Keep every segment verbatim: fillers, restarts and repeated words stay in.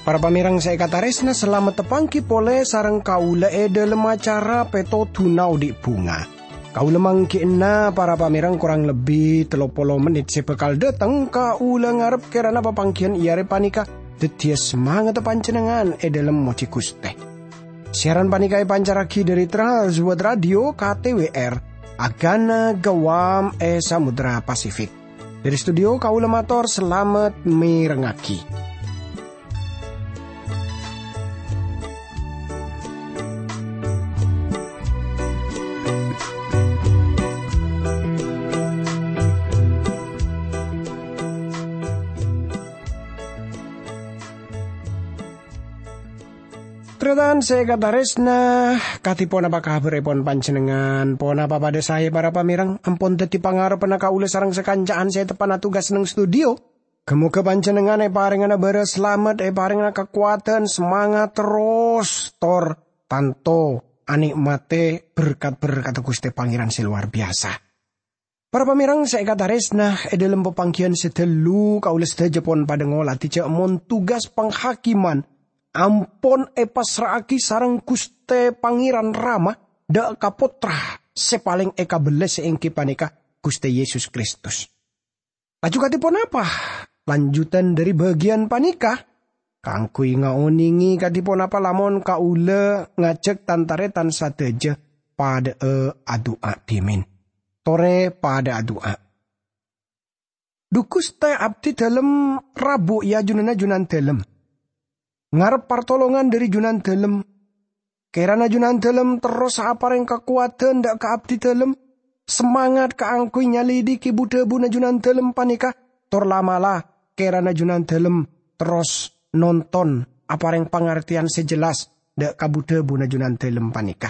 Para pamèrèng sè èkatarèsna, salamet tapangghi polè sareng kaulâ è dhâlem acara Pètodhuna Odi' Bhunga. Kaulâ mangghi'na para pamèrèng korang lebbi tello polo mennit sè bhâkal dhâteng. Kaulâ ngarep kèrana papangghiyân è arè panèka dhâddhiyâ samangatta panjhennengngan è dhâlem mojhi Ghustè. Siaran panèka èpancarraghi dhâri Trans World Radio K T W R, Agana Guam è Samudra Pasifik. Dhâri studio kaulâ mator salamet mèrengngaghi. Tarètan sè èkatarèsna, kadhi ponapa kabhârèpon panjhennengngan? Ponapa padhâ saè, para pamèrèng? Ampon dhâddhi pangarebbhânna kaulâ sareng sakanca'an sè teppa'na tugas neng studio. Ghâ-moghâ panjhennengngan èparèngana bârâs salamet, èparèngana kakowadhân, samangat terros, tor tanto anè'matè berkat-berkatta Ghustè Pangèran sè lowar biyasa. Para pamèrèng sè èkatarèsna, è dhâlem papangghiyân sè dhâllu, kaulâ sadhâjâ pon padhâ ngolatè jhâ' mon tugas panghakimman ampon èpassra'aghi sareng Ghustè Pangèran Rama dhâ' ka Pottra sè palèng èkabellâs, sè èngghi panèka Ghustè Yesus Kristus. Laju kadhi ponapa lanjutan dhâri bâgiyân panèka? Kaangghuy ngaonèngè kadhi ponapa lamon kaulâ ngajhâk tan-tarètan sadhâjâ padhâ'â adu'a dhimèn. Torè padhâ adu'a. Dhu Ghustè, abdhi dhâlem rabu è ajunanna Junandhâlem. Ngarep partolongan dhâri Junandhâlem. Kèrana Junandhâlem terros aparèng kakowadhân dhâ' ka abdhi dhâlem, samangat kaangghuy nyalidhiki bu-dhâbuna Junandhâlem panèka, tor la'-mala' kèrana Junandhâlem terros nonton aparèng pangartèyan sè jelas dhâ' ka bu-dhâbuna Junandhâlem panèka.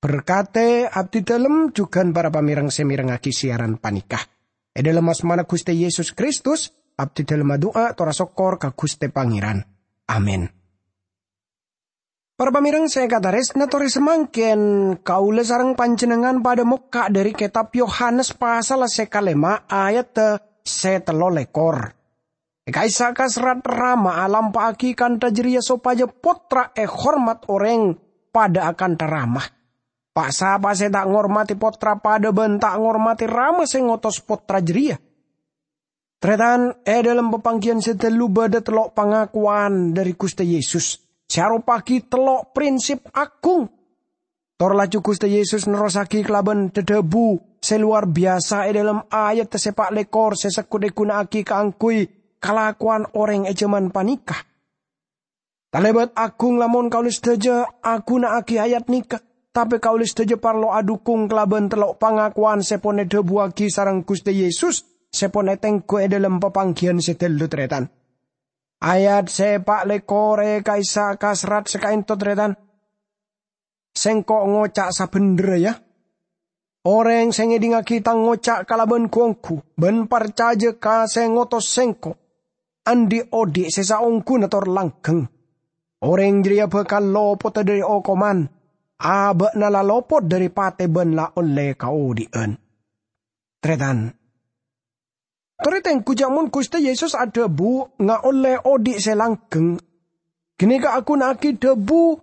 Berkatè abdhi dhâlem jhughân para pamèrèng sè mèrengngaghi siaran panèka. È dhâlem asmana Ghustè Yesus Kristus, abdhi dhâlem adu'a tor asokkor ka Ghustè Pangèran. Amin. Para pamèrèng sè èkatarèsna, torè samangkèn kaulâ sareng panjhennengngan padhâ mokka' dhâri Kètab Yohanes pasal sè kalèma' ayat sè tello lèkor. È ka'issa' kaserrat Rama alampa'aghi kantha jârèya sopajâ Pottra èhormat orèng padhâ akantha Rama. Pa'-sapa sè ta' ngormadhi Pottra padhâ bân ta' ngormadhi Rama sè ngotos Pottra jârèya. Tarètan, è dhâlem papangghiyân sè dhâllu bâdâ tello' pangakowan dhâri Ghustè Yesus sè aropa'aghi tello' prinsip agung. Tor laju Ghustè Yesus nerrossaghi kalabân dhâ-dhâbu sè lowar biyasa è dhâlem ayat sè pa' lèkor sè segghut èghuna'aghi kaangghuy kalakowan orèng è jhâman panèka. Talèbât agung lamon kaulâ sadhâjâ aghuna'aghi ayat nèka, tapè kaulâ sadhâjâ parlo adhukung kalabân tello' pangakowan sè pon èdhâbuwaghi sareng Ghustè Yesus sè pon ètengghu è dhâlem papangghiyân sè dhâllu, tarètan. Ayat sè pa' lèkor è ka'issa' kaserrat sè ka'ènto, tarètan. Sèngko' ngoca' sabhendherra, ya. Orèng sè ngèdhingngaghi tang ngoca' kalabân gu-onggu bân parcajâ ka sè ngotos sèngko', andi' odhi' sè saongghuna tor langghâng. Orèng jârèya bhâkal lopotta dhâri okoman, abâ'na la lopot dhâri patè bân la ollè kaodhi'ân. Tarètan, torè tengghu jhâ' mon Ghustè Yesus adhâbu ngaollè odhi' sè langghâng, ghânèka aghuna'aghi dhâbu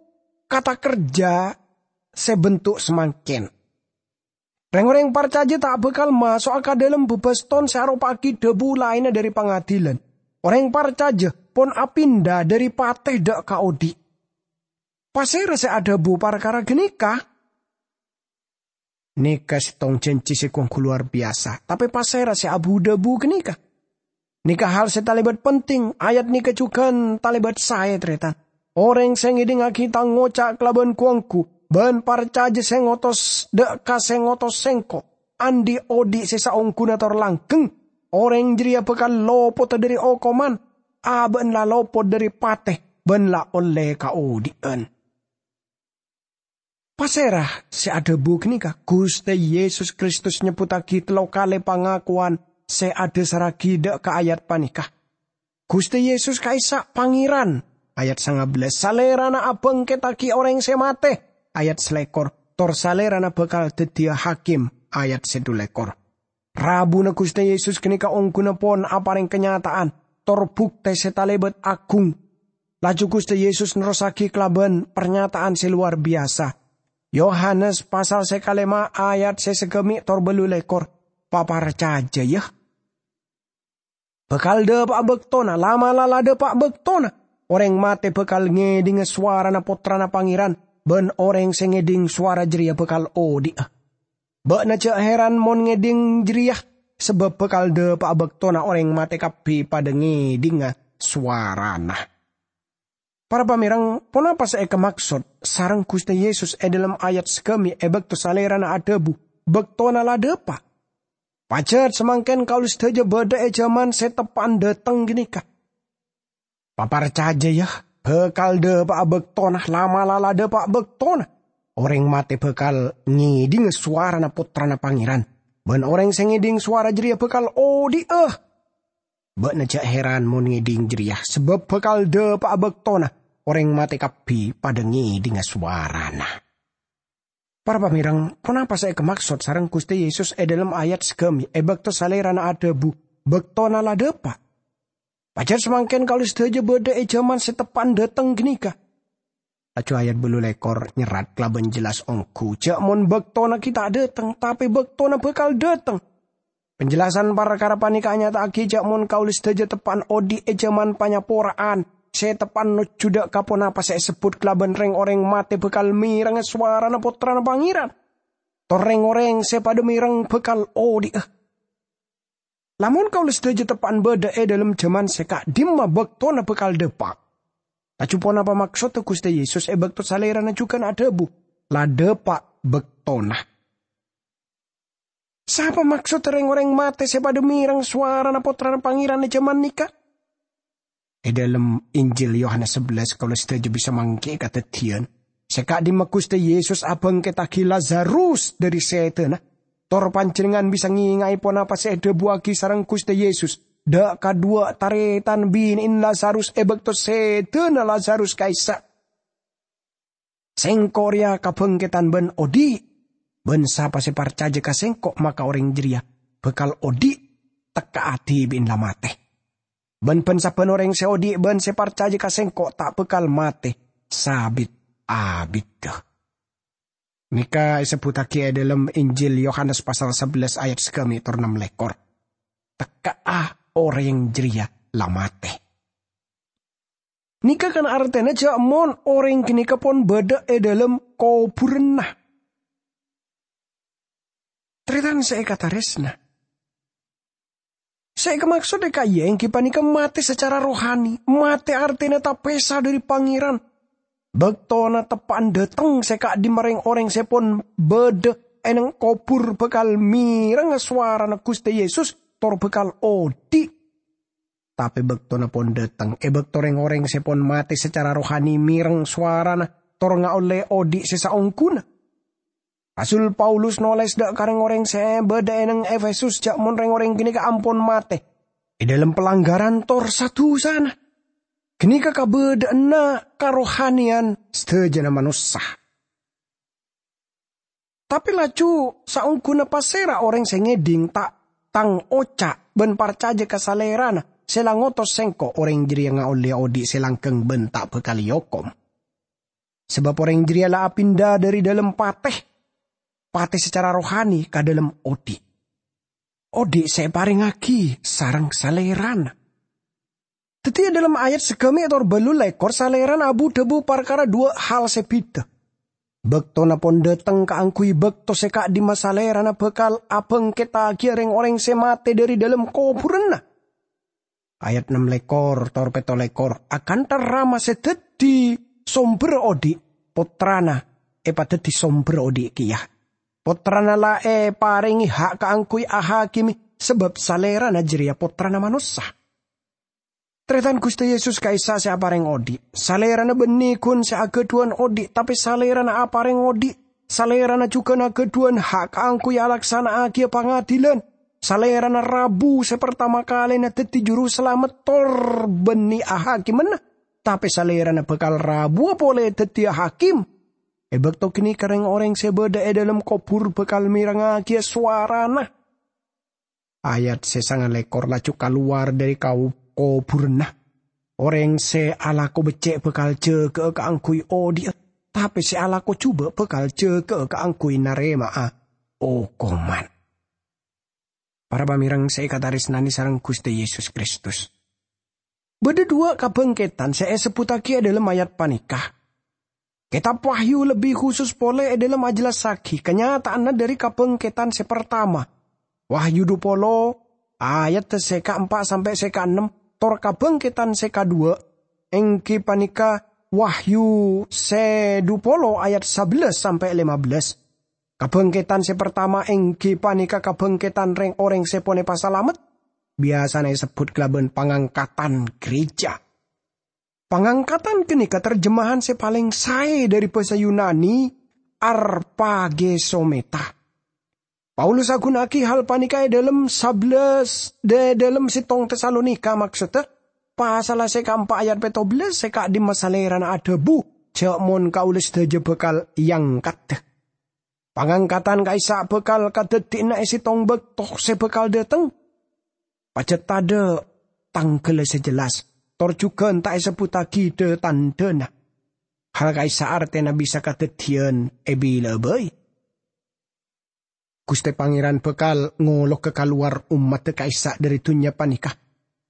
kata kerja sè bentuk samangkèn. Rèng-orèng parcajâ ta' bhâkal maso'a ka dhâlem bâbâston sè aropa'aghi dhâbu laènna dhâri pangadilan. Orèng parcajâ pon apinda dhâri patè dhâ' ka odhi'. Pasèra sè adhâbu parkara ghânèka? Nèka sèttong jhânjhi sè gu-onggu lowar biyasa, tapè pasèra sè abu-dhâbu ghânèka? Nèka hal sè talèbât penting, ayat nèka jhughân talèbât saè, tarètan. Orèng sè ngèdhingngaghi tang ngoca' kalabân gu-onggu bân parcajâ sè ngotos dhâ' ka sè ngotos sèngko', andi' odhi' sè saongghuna tor langghâng, orèng jârèya bhâkal lopotta dhâri okoman, abâ'na la lopot dhâri patè bân la ollè kaodhi'ân. Pasèra sè adhâbu ghânèka? Ghustè Yesus Kristus nyebbhuttaghi tello kalè pangakowan sè adhâsarraghi dhâ' ka ayat panèka. Ghustè Yesus ka'issa' Pangèran, Ayat sanga bellâs, "Salèrana abhângkettaghi orèng sè matè." Ayat salèkor, "Tor Salèrana bhâkal dhâddhiyâ hakim." Ayat sè dhu lèkor. Rabuna Ghustè Yesus ghânèka ongghuna pon aparèng kanyata'an, tor buktè sè talèbât aghung. Laju Ghustè Yesus nerrossaghi kalabân parnyata'an sè lowar biyasa. Yohanes pasal sè kalèma' ayat sè sagâmè' tor bâllu lèkor, "Paparcajâ, yâ! Bhâkal dhâpa'a bâktona, la'-mala' la dhâpa' bâktona, orèng matè bhâkal ngèdhingngâ sowarana Pottrana Pangèran, bân orèng sè ngèdhing sowara jârèya bhâkal odhi'a. Bâ'na jhâ' hèran mon ngèdhing jârèya, sabâb bhâkal dhâpa'a bâktona orèng matè kabbhi padâ ngèdhingngâ sowarana." Para pamèreng, ponapa sè èkamaksod sareng Ghustè Yesus è dhâlem ayat sagâmè' è bâkto Salèrana adhâbu, "Bâktona la dhâpa'"? Pajhât samangkèn kaulâ sadhâjâ bâdâ è jhâman sè teppa'na dhâteng ghânèka. Paparcajâ, yâ, bhâkal dhâpa'a bâktona, la'-mala' la dhâpa' bâktona. Orèng matè bhâkal ngèdhingngâ sowarana Pottrana Pangèran, bân orèng sè ngèdhing sowara jârèya bhâkal odhi'a. Bâ'na jhâ' hèran mon ngèdhing jârèya, sabâb bhâkal dhâpa'a bâktona orèng matè kabbhi padâ ngèdhingngâ sowarana. Para pamèreng, ponapa sè èkamaksod sareng Ghustè Yesus è dhâlem ayat sagâmè' è bâkto Salèrana adhâbu, "Bâktona la dhâpa'"? Pajhât samangkèn kaulâ sadhâjâ bâdâ è jhâman sè teppa'na dhâteng ghânèka. Laju ayat bâllu lèkor nyerrat kalabân jelas ongghu, jhâ' mon bâktona ghi' ta' dhâteng, tapè bâktona bhâkal dhâteng. Penjelasan parkara panèka anyata'aghi jhâ' mon kaulâ sadhâjâ teppa'na odhi' è jhâman panyapora'an, sè teppa'na nojjhudhâ ka ponapa sè èsebbhut kalabân rèng-orèng matè bhâkal mèrengnga sowarana Pottrana Pangèran. Tor rèng-orèng sè padâ mèreng bhâkal odhi'a. Lamon kaulâ sadhâjâ teppa'na bâdâ è dhâlem jhâman sè ka'dimma bâktona bhâkal dhâpa'." Laju ponapa maksodda Ghustè Yesus è bâkto Salèrana jhughân adhâbu, "La dhâpa' bâktona"? Sapa maksodda rèng-orèng matè sè padâ mèreng sowarana Pottrana Pangèran è jhâman nèka? È dhâlem Injil Yohanes sabellâs, kaulâ sadhâjâ bisa mangghi kadhâddhiyân. Sè ka'dimma Ghustè Yesus abhângkettaghi Lazarus dhâri sèdhâna. Tor panjhennengngan bisa ngènga'è ponapa sè èdhâbuwaghi sareng Ghustè Yesus dhâ' kadhuwâ tarètan binè'èn Lazarus è bâkto sèdhâna Lazarus ka'issa'. "Sèngko' rèya kabhângkeddhân bân odhi', bân sapa sè parcajâ ka Sèngko' maka orèng jârèya bhâkal odhi' tekka'a dhibi'na la matè. Bân bân-sabbhân orèng sè odhi' bân sè parcajâ ka Sèngko' ta' bhâkal matè sabit-abiddhâ." Nèka èsebbhuttaghi è dhâlem Injil Yohanes pasal sabellâs ayat sagâmè' tor nem lèkor. Tekka'a orèng jârèya la matè. Nèka kan artèna jhâ' mon orèng ghânèka pon bâdâ è dhâlem kobhurânna. Tarètan sè èkatarèsna. Sè èkamaksod è ka'iyâ èngghi panèka matè sacara rohani. Matè artèna tapèsa dhâri Pangèran. Bâktona teppa'na dhâteng sè ka'dimma rèng-orèng sè pon bâdâ è neng kobhur bhâkal mèrengnga sowarana Ghustè Yesus tor bhâkal odhi'. Tapè bâktona pon dhâteng, è bâkto rèng-orèng sè pon matè sacara rohani mèreng sowarana tor ngaollè odhi' sè saongghuna. Rasul Paulus nolès dhâ' ka rèng-orèng sè bâdâ è neng Efesus jhâ' mon rèng-orèng ghânèka ampon matè è dhâlem palangghârân tor sa-dusana. Ghânèka kabâdâ'ânna karohanèyan sadhâjâna manossa. Tapè laju, saongghuna pasèra orèng sè ngèdhing ta-, tang oca' bân parcajâ ka Salèrana sè la ngotos Sèngko', orèng jârèya ngaollè odhi' sè langghâng bân ta' bhâkal èokom. Sabâb orèng jârèya la apinda dhâri dhâlem patè, patè sacara rohani ka dhâlem odhi'. Odhi' sè èparèngngaghi sareng Salèrana. Dhâddhi, è dhâlem ayat sagâmè' tor bâllu lèkor, Salèrana abu-dhâbu parkara dhuwâ' hal sè bhidhâ. Bâktona pon dhâteng kaangghuy bâkto sè ka'dimma Salèrana bhâkal abhângkettaghi rèng-orèng sè matè dhâri dhâlem kobhurânna. Ayat nem lèkor tor pètto lèkor, akantha Rama sè dhâddhi sombherra odhi', Pottrana èpadhâddhi sombherra odhi' kèya. Pottrana la èparèngè ha' kaangghuy ahakimè, sabâb Salèrana jârèya Pottrana Manossa. Tarètan Ghustè Yesus ka'issa' sè aparèng odhi'. Salèrana bânnè ghun sè aghâdhuwân odhi', tapè Salèrana aparèng odhi'. Salèrana jhughân aghâdhuwân ha' kaangghuy alaksana'aghiyâ pangadhilan. Salèrana rabu sè partama kalèna dhâddhi Jurusalamet tor bânnè ahakimmanna. tape Salerana bakal rabuwa pole daddiya hakim. E bakto ganeka reng-oreng se badha e dhalem kobur bakal merengngagiya sowarana. Ayat se sangalekor laju kalowar dhari kau-, koburanna. Oreng se alako becce' bakal jaga'a kaangguy odhi'a, tape se alako juba' bakal jaga'a kaangguy narema'a okoman. Para pamereng se ekataresnane sareng Guste Yesus Kristus. Badha dhuwa' kabangketan se esebbuttagi e dhalem ayat paneka. Ketab Wahyu lebbi khusus pole e dhalem ajellassagi kanyata'anna dhari kabangketan se partama. Wahyu dhu polo ayat se kaempa' sampe' se kaennem, tor kabangketan se kadhuwa, enggi paneka Wahyu se dhu polo ayat sabellâs sampe' lema bellâs. Kabangketan se partama enggi paneka kabangketan reng-oreng se pon epasalamet, biyasana esebbut kalaban pangangkatan gereja. Pangangkatan ganeka terjemahan se paleng sae dhari basa Yunani, arpagesometa. Paulus aguna'agi hal paneka e dhalem sabellâs, e dhalem settong Tesalonika, maksodda, pasalla se kaempa' ayat petto bellâs se ka'dimma Salerana adhabu, "Ja' mon kaula sadaja bakal eangkada." Pangangkatan ka'issa' bakal kadaddiyanna e settong bakto se bakal dhateng. Pajat tadha' tanggalla se jelas, tor jugan ta' esebbuttagi dha-tandhana. Hal ka'issa' artena bisa kadaddiyan e bila'a bai. Guste Pangeran bakal ngologa kalowar ommadda ka'issa' dhari dunnya paneka,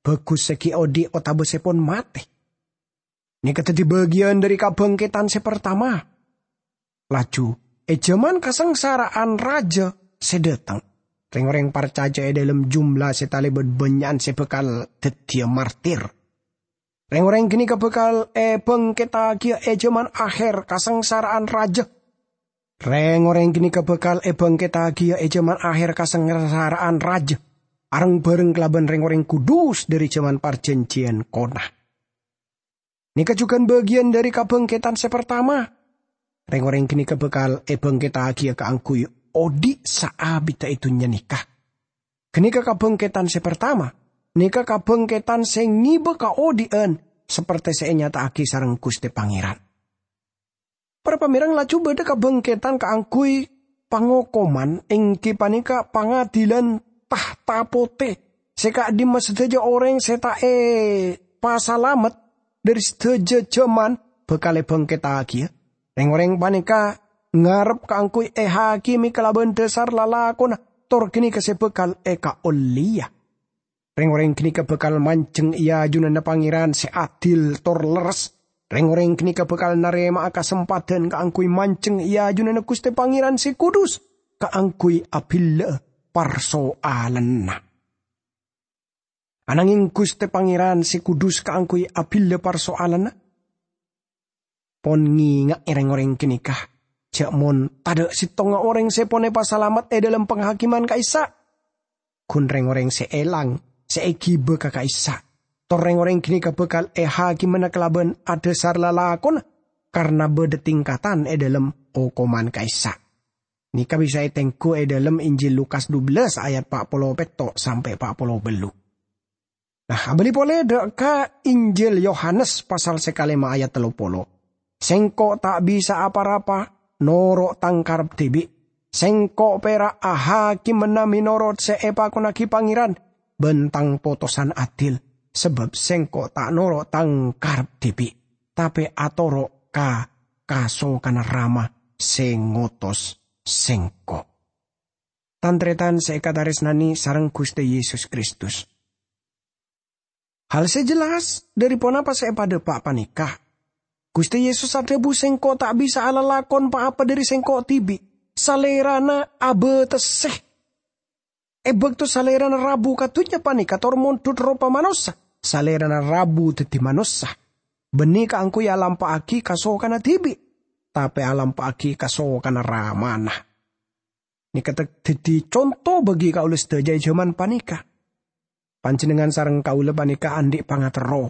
bagus se gi' odhi' otaba se pon mate. Neka daddi bagiyan dhari kabangketan se partama. Laju, e jaman kasangsara'an raja se dhateng, reng-oreng parcaja e dhalem jumlah se talebat bannya'an se bakal daddiya martir. Reng-oreng ganeka bakal ebangkettagiya e jaman aher kasangsara'an raja. Reng-oreng ganeka bakal ebangkettagiya e jaman aher kasangsara'an raja, areng-bareng kalaban reng-oreng kudus dhari jaman parjanjiyan kona. Neka jugan bagiyan dhari kabangketan se partama. Reng-oreng ganeka bakal ebangkettagiya kaangguy odhi' saabidda e dunnya neka. Ganeka kabangketan se partama. Neka kabangketan se ngeba kaodhi'an, saperte se enyata'agi sareng Guste Pangeran. Para pamereng, laju badha kabangketan kaangguy pangokoman, enggi paneka pangadilan tahta pote, se ka'dimma sadaja oreng se ta' epasalamet dhari sadaja jaman bakal ebangkettagiya. Reng-oreng paneka ngarep kaangguy ehakime kalaban dhasar lalakonna, tor ganeka se bakal ekaolleya. Reng-oreng ganeka bakal manjeng e ajunanna Pangeran se adil tor lerres. Reng-oreng ganeka bakal narema'a kasempadhan kaangguy manjeng e ajunanna Guste Pangeran se kudus, kaangguy abilla'a parsoalanna. Anangeng Guste Pangeran se kudus kaangguy abilla parsoalanna. Pon ngenga'e reng-oreng ganeka, ja' mon tadha' settonga oreng se pon epasalamet e dhalem panghakiman ka'issa'. Gun reng-oreng se elang, se egiba ka ka'issa'. Tor reng-oreng ganeka bakal ehakimana kalaban adhasar lalakonna, karna badha tingkatan e dhalem okoman ka'issa'. Neka bisa etenggu e dhalem Injil Lukas dubellâs ayat pa' polo petto' sampe' pa' polo bâllu'. Nah, abali pole dha' ka Injil Yohanes pasal se kalema ayat tello polo. "Sengko' ta' bisa apa-rapa noro' tang karep dibi'. Sengko' pera' ahakimana menorot se epakonnagi Pangeran ban tang potosan adil, sabab sengko' ta' noro' tang karep dibi', tape atoro' ka kasokanna Rama se ngotos sengko'." Tan-taretan se ekataresnane sareng Guste Yesus Kristus. Hal se jelas dhari ponapa se epadhapa' paneka. Guste Yesus adhabu, "Sengko' ta' bisa alalakon pa-apa dhari Sengko' dibi'." Salerana abatese. E bakto Salerana rabu ka dunnya paneka tor mondhut ropa manossa, Salerana rabu daddi manossa. Banne kaangguy alampa'agi kasokanna dibi', tape alampa'agi kasokanna Ramana. Neka te-, daddi conto bagi kaula sadaja e jaman paneka. Panjennengngan sareng kaula paneka andhi' pangaterro.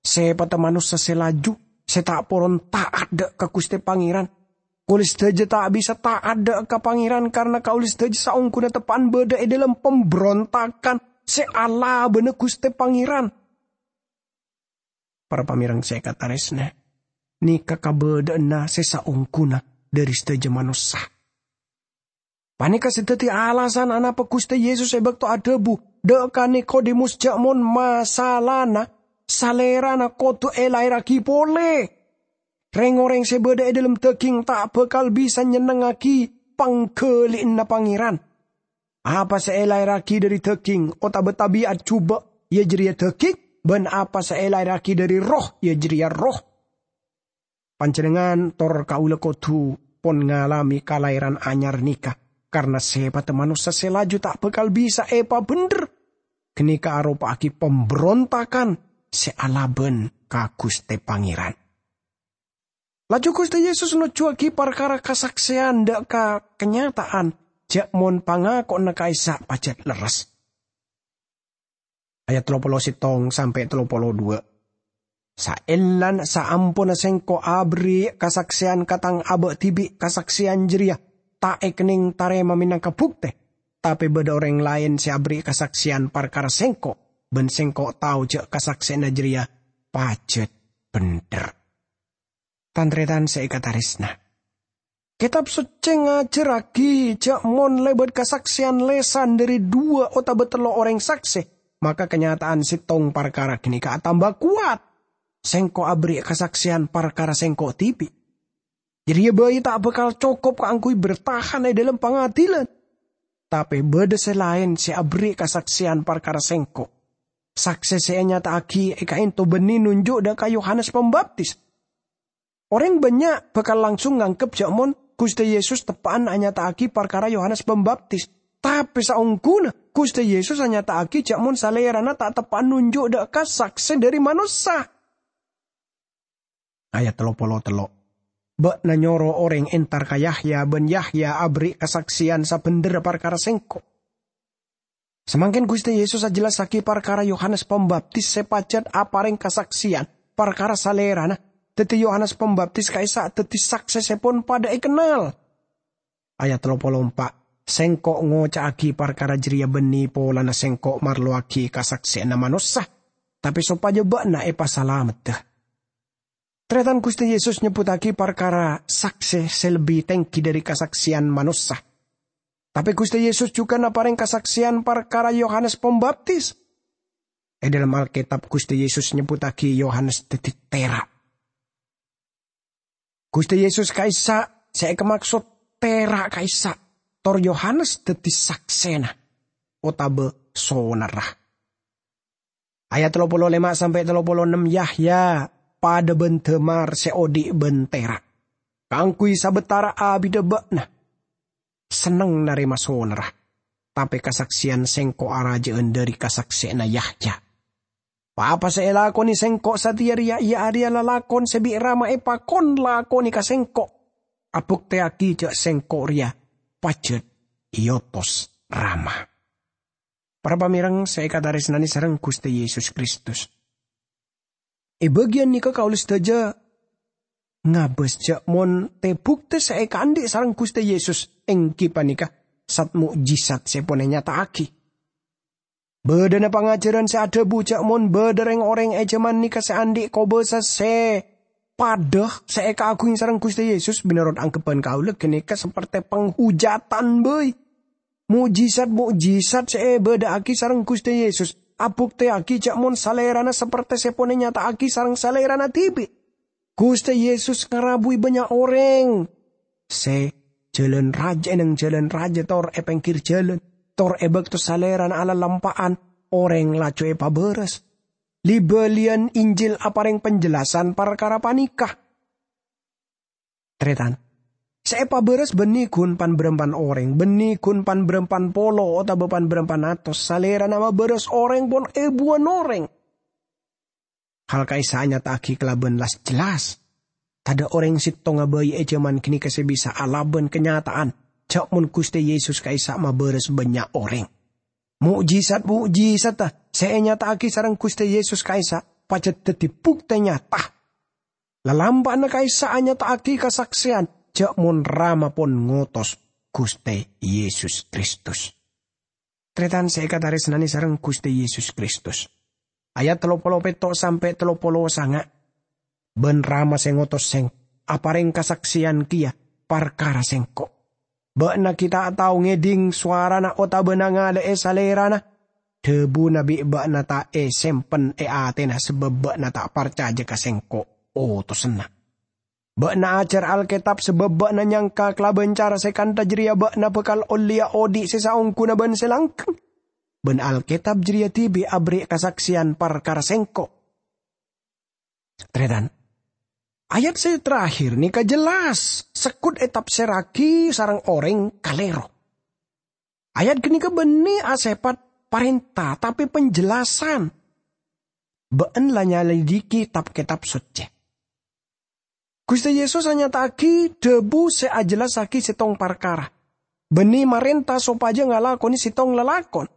Sepadda manossa se laju, se ta' poron ta'at dha' ka Guste Pangeran. Kaula sadaja ta' bisa ta'at dha' ka Pangeran karna kaula sadaja saongguna teppa'an badha e dhalem pambrontagan se alabana Guste Pangeran. Para pamèreng sè èkatarèsnaè, nèka kabâḍâ'ânna sè saongghuna ḍâri sadhâjâ manossa. Panèka sè dhâddhi alasan anapa Ghustè Yesus è bâkto adhâbu ḍâ' ka Nikodemus jhâ' mon masalana salèrana kodhu èlaèrraghi polè. Rèng-orèng sè bâḍâ è ḍâlem dhâghing ta' bhâkal bisa nyennengngaghi pangghâli'ânna Pangèran. Apa sè èlaèrraghi ḍâri dhâghing otabâ tabi'at jhubâ', iyâ jârèya dhâghing, bân apa sè èlaèrraghi ḍâri Erroh, iyâ jârèya erroh. Panjhennengngan tor kaulâ kodhu pon ngalamè kalaèran anyar nèka, karna sèpatta manossa sè laju ta' bhâkal bisa èpabhendher. Ghânèka aropa'aghi pambrontagan sè alabân ka Ghustè Pangèran. Laju Ghustè Yesus nojjhuwâghi parkara kasaksèyan ḍâ' ka kanyata'an jhâ' mon pangako'anna ka'issa' pajhât lerres. Ayat tello polo settong sampè' tello polo ḍuwâ'. Saellana saamponna Sèngko' aberri' kasaksèyan ka Tang abâ' dhibi', kasaksèyan jârèya ta' èkennèng tarèma mènangka buktè. Tapè bâḍâ orèng laèn sè aberri' kasaksèyan parkara Sèngko', bân Sèngko' tao jhâ' kasaksèyanna jârèya pajhât bhendher. Tan-tarètan sè èkatarèsna, Kètab Soccè ngajhârraghi jhâ' mon lèbât kasaksèyan lèsan ḍâri ḍuwâ' otabâ tello' orèng saksè, maka kanyata'an settong parkara ghânèka atamba kowat. Sèngko' aberri' kasaksèyan parkara sèngko' dhibi'. Jârèya bhâi ta' bhâkal cokop kaangghuy bertahan è ḍâlem pangadhilan. Tapè bâḍâ sè laèn sè aberri' kasaksèyan parkara sèngko'. Saksè sè ènyata'aghi è ka'ènto bânnè nonjhu' ḍâ' ka Yohanes Pambaptis. Orèng bânnya' bhâkal langsung nganggep jhâ' mon Ghustè Yesus teppa'an anyata'aghi parkara Yohanes Pambaptis. Tapè saongghuna Ghustè Yesus anyata'aghi jhâ' mon Salèrana ta' teppa'an nonjhu' ḍâ' ka saksè ḍâri manossa. Ayat tello polo tello'. "Bâ'na nyoro orèng entar ka Yahya, bân Yahya aberri' kasaksèyan sabhendherra parkara Sèngko'." Samangkèn Ghustè Yesus ajhellassaghi parkara Yohanes Pambaptis sè pajhât aparèng kasaksèyan parkara Salèrana, dhâddhi Yohanes Pambaptis ka'issa' dhâddhi saksè sè pon paḍâ èkennal. Ayat tello polo empa', "Sèngko' ngoca'aghi parkara jârèya bânnè polana Sèngko' marlowaghi kasaksèyanna manossa, tapè sopajâ bâ'na èpasalameddhâ." Tarètan Ghustè Yesus nyebbhuttaghi parkara saksè sè lebbi tèngghi ḍâri kasaksèyan manossa. Tapè Ghustè Yesus jhughân aparèng kasaksèyan parkara Yohanes Pambaptis. È ḍâlem Alkètab, Ghustè Yesus nyebbhuttaghi Yohanes dhâddhi tèra'. Ghustè Yesus ka'issa' sè èkamaksod tèra' ka'issa', tor Yohanes dhâddhi saksèna otabâ sonarra. Ayat tello polo lèma' sampè' tello polo ennem, "Yahya paḍâ bân dâmar sè oḍi' bân tèra'. Kaangghuy sabâtara abiddhâ bâ'na senneng narèma sonarra, tapè kasaksèyan Sèngko' arajâ'ân ḍâri kasaksèyanna Yahya. Pa-apa sè èlakonè Sèngko' satèya rèya, iyâ arèya lalakon sè bi' Rama èpakon lakonè ka Sèngko', abuktèyaghi jhâ' Sèngko' rèya pajhât èotos Rama." Para pamèreng sè èkatarèsnanè sareng Ghustè Yesus Kristus. È bâgiyân nèka kaulâ sadhâjâ ngabâs jhâ' mon tè-buktè sè èkaanḍi' sareng Ghustè Yesus èngghi panèka sat-mo'jisat sè pon ènyata'aghi. Bâḍâna pangajhârân sè adhâbu jhâ' mon bâḍâ rèng-orèng è jhâman nèka sè anḍi' kobâsa sè paḍâ sè èkaaghuwâghi sareng Ghustè Yesus, mènorot anggheppan kaulâ ghânèka sapertè panghujatan bhâi. Mo'jisat-mo'jisat sè èbâḍâ'aghi sareng Ghustè Yesus abuktèyaghi jhâ' mon Salèrana sapertè sè pon ènyata'aghi sareng Salèrana dhibi'. Ghustè Yesus ngarabuwi bânnya' orèng sè jhâlân rajâ è neng jhâlân rajâ tor è pèngghir jhâlân, tor è bâkto Salèrana alalampa'an, orèng laju èpabârâs. Li-bâliyân Injil aparèng penjelasan parkara panèka. Tarètan, sè èpabârâs bânnè ghun pan-bârâmpan orèng, bânnè ghun pan-bârâmpan polo otabâ pan-bârâmpan atos, Salèrana mabârâs orèng pon èbuwân orèng. Hal ka'issa' anyata'aghi kalabân las-jelas. Taḍâ' orèng settonga bhâi è jhâman ghânèka sè bisa alabân kanyata'an jhâ' mon Ghustè Yesus ka'issa' mabârâs bânnya' orèng. Mo'jisat-mo'jisatta sè ènyata'aghi sareng Ghustè Yesus ka'issa' pajhât dhâddhi buktè nyata. Lalampa'anna ka'issa' anyata'aghi kasaksèyan jhâ' mon Rama pon ngotos Ghustè Yesus Kristus. Tarètan sè èkatarèsnanè sareng Ghustè Yesus Kristus. Ayat tello polo petto' sampè' tello polo sanga'. "Bân Rama sè ngotos Sèng-, aparèng kasaksèyan kèya parkara Sèngko'. Bâ'na ghi' ta' tao ngèdhing sowarana otabâ nangalè'è Salèrana. Dhâbuna bi' bâ'na ta' èsempen è atèna sabâb bâ'na ta' parcajâ ka Sèngko', otosanna. Bâ'na ajhâr Alkètab sabâb bâ'na nyangka kalabân cara sè kantha jârèya bâ'na bhâkal ollèya odi' sè saongghuna bân sè langghâng. Bân Alkètab jârèya dhibi' aberri' kasaksèyan parkara Sèngko'." Tarètan, ayat sè terakhir nèka jelas, segghut ètafsirraghi sareng orèng kalèro. Ayat ghânèka bânnè asèpat parènta, tapè penjelasan. Bâ'na la nyalidiki Tab-Kètab Soccè. Ghustè Yesus anyata'aghi dhâbu sè ajellassaghi sèttong parkara, bânnè marènta sopajâ ngalakonè sèttong lalakon.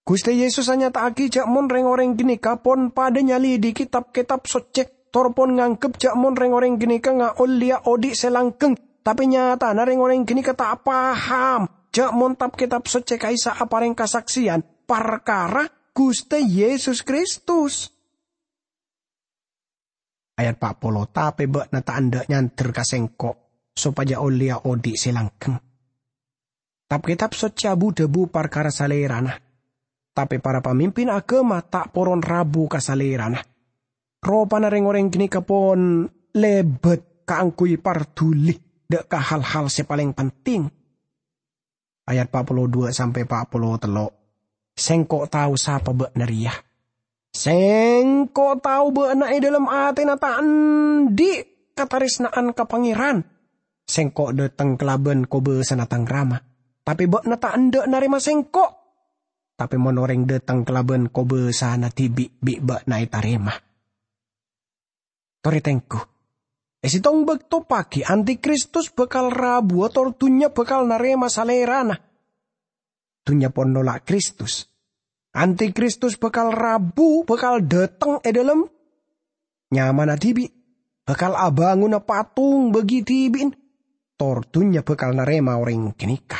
Ghustè Yesus anyata'aghi jâ' mon rèng-orèng ghânèka pon padâ nyalidiki Tab-Kètab Soccè, tor pon nganggep jâ' mon rèng-orèng ghânèka ngaollèya odi' sè langghâng, tapè nyatana rèng-orèng ghânèka ta' paham jâ' mon Tab-Kètab Soccè ka'issa' aparèng kasaksèyan parkara Ghustè Yesus Kristus. Ayat pa' polo, "Tapè bâ'na ta' endâ' nyandher ka Sèngko' sopajâ ollèya odi' sè langghâng." Tab-Kètab Soccè abu-dhâbu parkara Salèrana, tapè para pamimpin aghâma ta' poron rabu ka Salèrana. Ropana rèng-orèng ghânèka pon lèbât kaangghuy parduli dâ' ka hal-hal sè palèng penting. Ayat pa' polo duwâ' sampè' pa' polo tello', "Sèngko' tao sapa bâ'na rèya. Sèngko' tao bâ'na è dhâlem atèna ta' andi' katarèsna'an ka Pangèran. Sèngko' dâteng kalabân kobâsana Tang Rama, tapè bâ'na ta' endâ' narèma Sèngko'. Tapè mon orèng dâteng kalabân kobâsana dhibi', bi' bâ'na ètarèma." Torè tengghu. È sèttong bâkto paghi, Antikristus bhâkal rabuwâ tor dhunnya bhâkal narèma Salèrana. Dhunnya pon nolak Kristus. Antikristus bhâkal rabu, bhâkal dâteng è dhâlem nyamana dhibi', bhâkal abângona patong bâgi dhibi'na, tor dhunnya bhâkal narèma orèng ghânèka.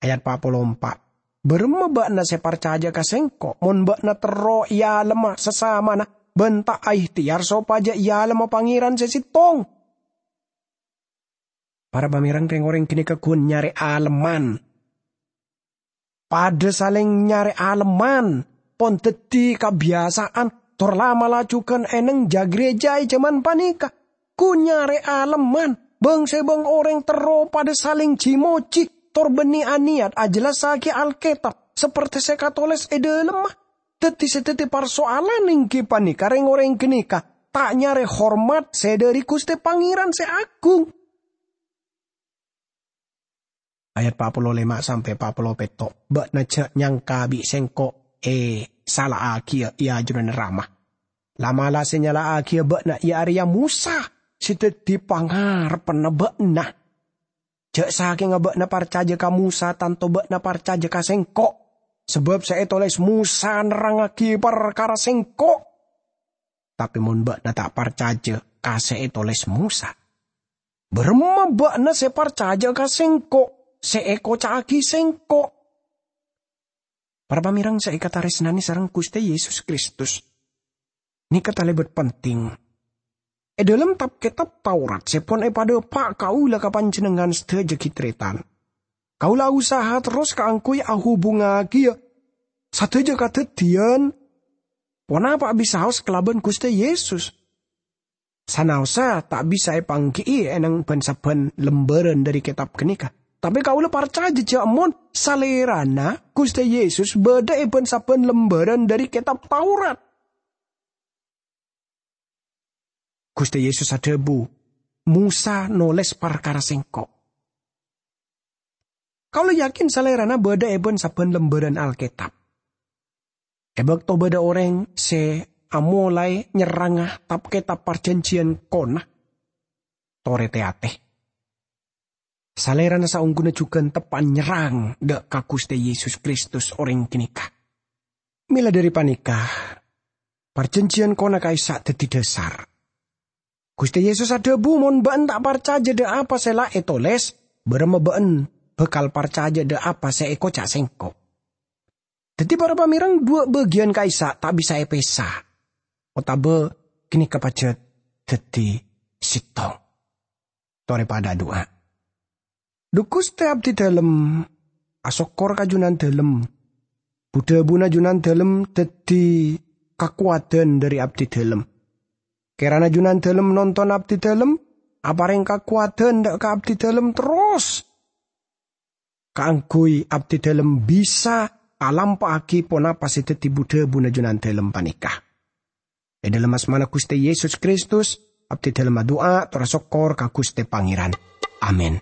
Ayat pa' polo empa', "Bârâmma bâ'na sè parcajâ ka Sèngko' mon bâ'na terro èalemma sasamana bân ta' aèhtèyar sopajâ èalemma Pangèran sè sèttong?" Para pamèreng, rèng-orèng ghânèka ghun nyarè alemman. Padâ salèng nyarè alemman, pon dhâddhi kabiyasa'an, tor la'-mala' jhughân è neng jâ-, ghârèjâ è jhâman panèka. Ghun nyarè alemman, bâng-sèbâng orèng terro padâ salèng ji-mojhi, tor bânnè anèyat ajellassaghi Alkètab, saperte sè katolès è dhâlemma. Dhâddhi sè dhâddhi parsoalan èngghi panèka rèng-orèng ghânèka ta' nyarè hormat sè dhâri Ghustè Pangèran sè aghung. Ayat pa' polo lèma' sampè' pa' polo petto', "Bâ'na jhâ' nyangka bi' Sèngko' èsala'aghiyâ è ajunanna Rama. La'-mala' sè nyala'aghiyâ bâ'na iyâ arèya Mosa sè dhâddhi pangarebbhânna bâ'na. Jhâ' sakènga bâ'na parcajâ ka Mosa, tanto bâ'na parcajâ ka Sèngko', sabâb sè ètolès Mosa nerrangngaghi parkara Sèngko'. Tapè mon bâ'na ta' parcajâ ka sè ètolès Mosa, bârâmma bâ'na sè parcajâ ka Sèngko' sè èkoca'aghi Sèngko'?" Para pamèreng sè èkatarèsnanè sareng Ghustè Yesus Kristus, nèka talèbât penting. È dhâlem Tab-Kètab Taurat sè pon èpadhâpa' kaulâ ka panjhennengngan sadhâjâ ghi' tarètan, kaulâ usaha terros kaangghuy ahubungaghiyâ sadhâjâ kadhâddhiyân ponapa bisaos kalabân Ghustè Yesus. Sanaossa ta' bisa èpaangghi'i è neng bân-sabbhân lembârân dhâri kètab ghânèka, tapè kaulâ parcajâ jâ' mon Salèrana Ghustè Yesus bâdâ è bân-sabbhân lembârân dhâri Kètab Taurat. Ghustè Yesus adhâbu, "Mosa nolès parkara Sèngko'." Kaulâ yakin Salèrana bâdâ è bân-sabbhân lembârân Alkètab. È bâkto bâdâ orèng sè amolaè nyerranga Tab-Kètab Parjhânjhiyân Kona, torè tè-atè. Salèrana saongghuna jhughân teppa'na nyerrang dâ' ka Ghustè Yesus Kristus orèng ghânèka. Mèla dhâri panèka, Parjhânjhiyân Kona ka'issa' dhâddhi dhâsar. Ghustè Yesus adhâbu, "Mon bâ'na ta' parcajâ dâ' apa sè la ètolès, bârâmma bâ'na bhâkal parcajâ dâ' apa sè èkoca' Sèngko'?" Daddi, para pamèreng, duwâ' bâgiyân ka'issa' ta' bisa èpèsa, otabâ ghânèka pajhât daddi sèttong. Torè padâ adu'a. Dhu Ghustè abdidhâlem, asokkor ka Jhunandhâlem. Bu-dhâbuna Jhunandhâlem daddi kakowadhân dhâri abdidhâlem. Kèrana Jhunandhâlem nonton abdidhâlem, aparèng kakowadhân dâ' ka abdidhâlem terros, kaangghuy abdidhâlem bisa alampa'aghi ponapa sè daddi bu-dhâbuna Jhunandhâlem panèka. È dhâlem asmana Ghustè Yesus Kristus, abdidhâlem adu'a tor asokkor ka Ghustè Pangèran. Amin.